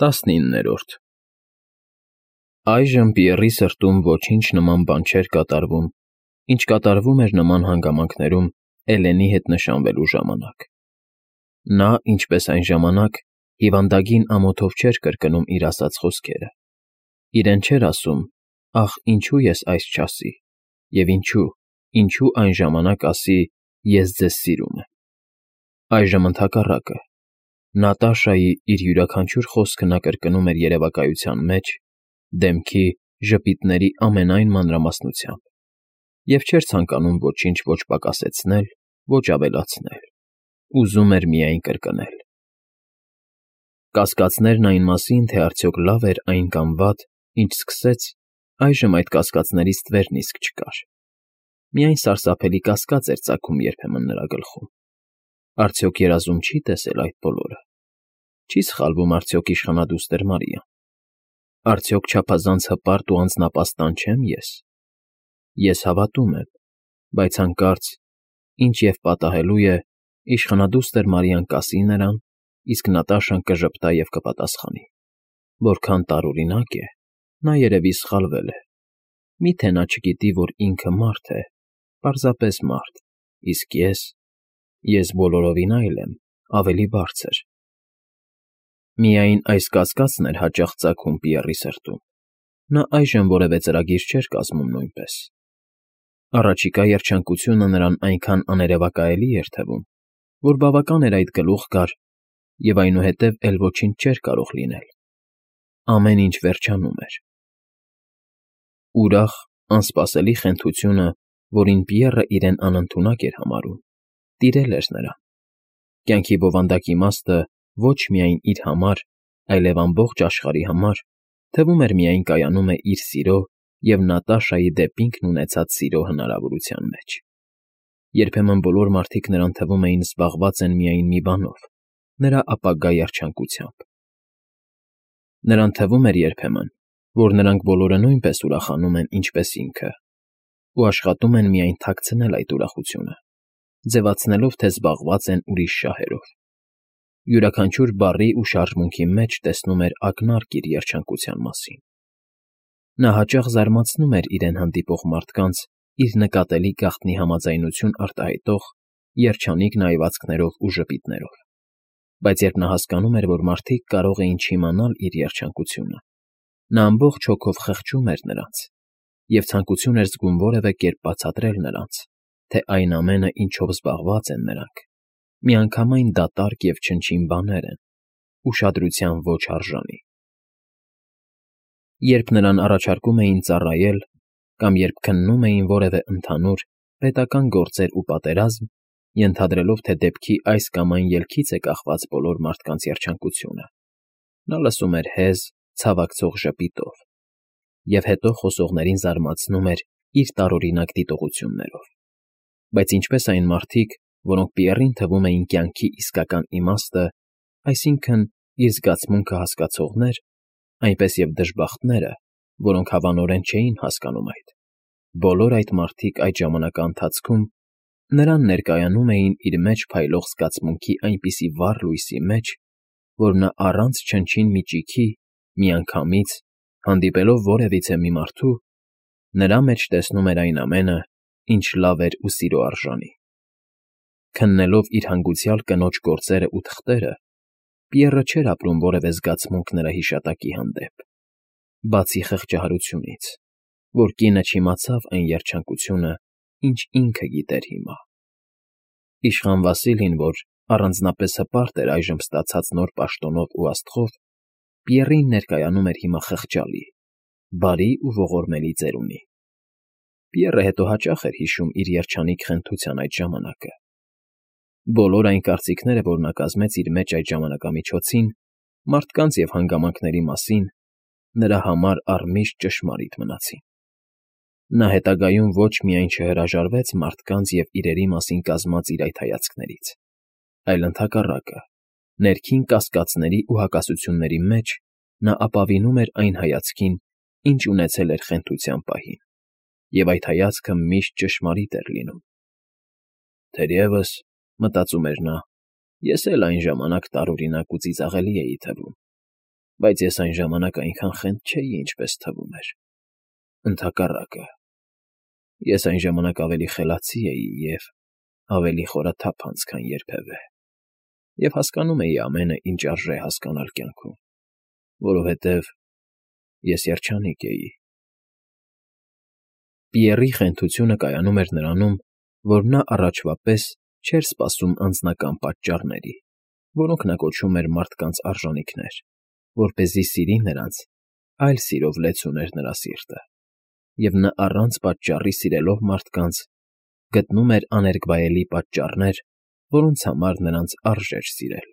19-րդ Այժմ Պիեռի սրտում ոչինչ նման բան չէր կատարվում, ինչ կատարվում էր նման հանգամանքներում Էլենի հետ նշանվելու ժամանակ. նա, ինչպես այն ժամանակ, հիվանդագին ամոթով չէր կրկնում իր ասած խոսքերը, իրեն չէր ասում. «Ախ, ինչո՞ւ ես այս չասի» և ինչու այն ժամանակ ասի. «Ես ձեզ սիրում եմ»։ Այժմ ընդհակառակը, Նատաշայի իր յուրաքանչյուր խոսքը նա կրկնում էր երևակայության մեջ, դեմքի, ժպիտների ամենայն մանրամասնությամբ և չէր ցանկանում ոչինչ ոչ պակասեցնել, ոչ ավելացնել, ուզում էր միայն կրկնել։ Կասկածներն այն մասին, թե արդյոք լավ էր այն կամ վատ, ինչ սկսեց, այժմ այդ կասկածներից ստվերն իսկ չկար։ Միայն սարսափելի կասկած էր ծագում երբեմն նրա գլխում. արդյոք երազում չի՞ տեսել այդ բոլորը, չի՞ սխալվում արդյոք իշխանադուստր Մարիան, արդյոք չափազանց հպարտ ու անձնապաստառ չեմ ես։ Ես հավատում եմ, բայց հանկարծ, ինչ և պատահելու է, իշխանադուստր Մարիան կասի նրան, իսկ Նատաշան կժպտա և կպատասխանի. որքան տարօրինակ է, նա երևի սխալվել է, մի՞թե նա չգիտի, որ ինքը մարդ է, պարզապես մարդ, իսկ ես բոլորովին այլ եմ, ավելի բարձր։ Միայն այս կասկածն էր հաճախ ծագում Պիեռի սրտում, նա այժմ որևէ ծրագիր չէր կազմում նույնպես։ Առաջիկա երջանկությունը նրան այնքան աներևակայելի էր թվում, որ բավական էր այդ գլուխ գար, և այնուհետև էլ ոչինչ չէր կարող լինել։ Ամեն ինչ վերջանում էր։ Ուրախ, անսպասելի խենթությունը, որին Պիեռը իրեն անընդունակ էր համարում, տիրել էր նրան։ Կյանքի բովանդակ իմաստը ոչ միայն իր համար, այլև ամբողջ աշխարհի համար, թվում էր միայն կայանում է իր սիրո և Նատաշայի դեպ ինքն ունեցած սիրո հնարավորության մեջ։ Երբեմն բոլոր մարդիկ նրան թվում էին զբաղված են միայն մի բանով՝ նրա ապագա երջանկությամբ։ Նրան թվում էր երբեմն, որ նրանք բոլորը նույնպես ուրախանում են, ինչպես ինքը, ու աշխատում են միայն թաքցնել այդ ուրախությունը, ձևացնելով, թե զբաղված են ուրիշ շահերով։ Յուրաքանչյուր բառի ու շարժմունքի մեջ տեսնում էր ակնարկ իր երջանկության մասին։ Նա հաճախ զարմացնում էր իրեն հանդիպող մարդկանց իր նկատելի գաղտնի համաձայնություն արտահայտող երջանիկ նայվածքներով ու ժպիտներով, բայց երբ նա հասկանում էր, որ մարդիկ կարող էին չիմանալ իր երջանկությունը, նա ամբողջ հոգով խղճում էր նրանց և ցանկություն էր զգում որևէ կերպ բացատրել նրանց, թե այն ամենը, ինչով զբաղված են նրանք, միանգամայն դատարկ և չնչին բաներ են, ուշադրության ոչ արժանի։ Երբ նրան առաջարկում էին ծառայել կամ երբ քննում էին որևէ ընդհանուր, պետական գործեր ու պատերազմ, ենթադրելով, թե դեպքի այս կամ այն ելքից է կախված բոլոր մարդկանց երջանկությունը, նա լսում էր հեզ, ցավակցող ժպիտով և հետո խոսողներին զարմացնում էր իր տարօրինակ դիտողություններով։ Բայց ինչպես այն մարդիկ, որոնք Պիեռին թվում էին կյանքի իսկական իմաստը, այսինքն՝ իր զգացմունքը հասկացողներ, այնպես և դժբախտները, որոնք հավանորեն չէին հասկանում այդ, բոլոր այդ մարդիկ այդ ժամանակաընթացքում նրան ներկայանում էին իր մեջ փայլող զգացմունքի այնպիսի վառ լույսի մեջ, որ նա առանց չնչին մի ճիգի, միանգամից, հանդիպելով որևիցե մի մարդու, նրա մեջ տեսնում էր այն ամենը, ինչ լավ էր ու սիրո արժանի։ Քննելով իր հանգուցյալ կնոջ գործերն ու թղթերը, Պիեռը չէր ապրում որևէ զգացմունք նրա հիշատակի հանդեպ, բացի խղճահարությունից, որ կինը չիմացավ այն երջանկությունը, ինչ ինքը գիտեր հիմա։ Իշխան Վասիլին, որ առանձնապես հպարտ էր այժմ ստացած նոր պաշտոնով ու աստղով, Պիեռին ներկայանում էր հիմա խղճալի, բարի ու ողորմելի ծերունի։ Պիեռը հետո հաճախ էր հիշում իր երջանիկ խենթության այդ ժամանակը։ Բոլոր այն կարծիքները, որ նա կազմեց իր մեջ այդ ժամանակամիջոցին, մարդկանց և հանգամանքների մասին, նրա համար առմիշտ ճշմարիտ մնացին։ Նա հետագայում ոչ միայն չհրաժարվեց մարդկանց և իրերի մասին կազմած իր այդ հայացքներից, այլ ընդհակառակը, ներքին կասկածների ու հակասությունների մեջ նա ապավինում էր այն հայացքին, ինչ ունեցել էր խենթության պահին, և այդ հայացքը միշտ ճշմարիտ էր լինում։ «Թերևս, մտածում էր նա, ես էլ այն ժամանակ տարօրինակ ու ծիծաղելի էի թվում, Բայց ես այն ժամանակ այնքան խենթ չէի, ինչպես թվում էր, ընդհակառակը, ես այն ժամանակ ավելի խելացի էի և ավելի խորաթափանց, քան երբևէ, և հասկանում էի ամենը, ինչ արժե հասկանալ կյանքում, որովհետև ես երջանիկ էի։ Պիեռի խենթությունը կայանում էր նրանում, որ նա առաջվա պես չէր սպասում անձնական պատճառների, որոնք նա կոչում էր մարդկանց արժանիքներ, որպեսզի սիրի նրանց, այլ սիրով լեցուներ նրա սիրտը, և նա առանց պատճառի սիրելով մարդկանց՝ գտնում էր աներկբայելի պատճառներ, որոնց համար նրանց արժեր սիրել։